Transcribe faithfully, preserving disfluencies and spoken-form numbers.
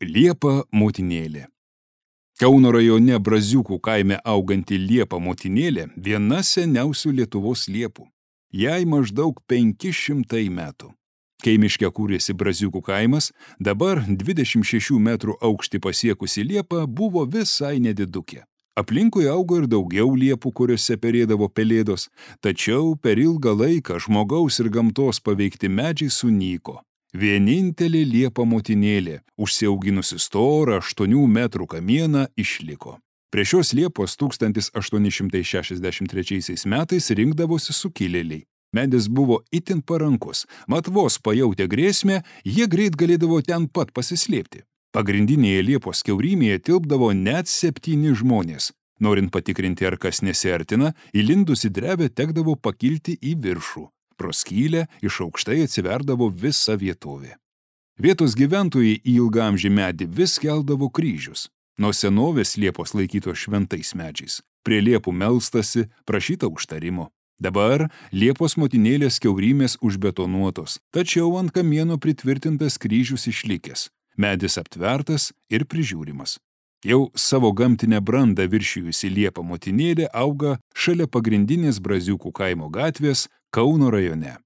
Liepa motinėlė. Kauno rajone Braziukų kaime auganti liepa motinėlė viena seniausių Lietuvos liepų. Jai maždaug penki šimtai metų. Kai miške kūrėsi Braziukų kaimas, dabar dvidešimt šešių metrų aukštį pasiekusi liepa buvo visai nedidukė. Aplinkui augo ir daugiau liepų, kuriuose perėdavo pelėdos, tačiau per ilgą laiką žmogaus ir gamtos paveikti medžiai sunyko. Vienintelė liepa motinėlė, užsiauginusi storą aštuonių metrų kamieną, išliko. Prie šios liepos tūkstantis aštuoni šimtai šešiasdešimt trečiaisiais metais rinkdavosi sukilėliai. Medis buvo itin parankus, mat vos pajautę grėsmę, jie greit galėdavo ten pat pasislėpti. Pagrindinėje liepos kiaurymėje tilpdavo net septyni žmonės. Norint patikrinti, ar kas nesiartina, įlindus į drevę tekdavo pakilti į viršų. Pro skylę iš aukštai atsiverdavo visa vietovė. Vietos gyventojai į ilgaamžį medį vis keldavo kryžius. Nuo senovės liepos laikytos šventais medžiais. Prie liepų melstasi, prašyta užtarimo. Dabar liepos motinėlės kiaurymės užbetonuotos, tačiau ant kamieno pritvirtintas kryžius išlikęs. Medis aptvertas ir prižiūrimas. Jau savo gamtinę brandą viršijusi liepa motinėlė auga šalia pagrindinės Braziukų kaimo gatvės Kauno rajone.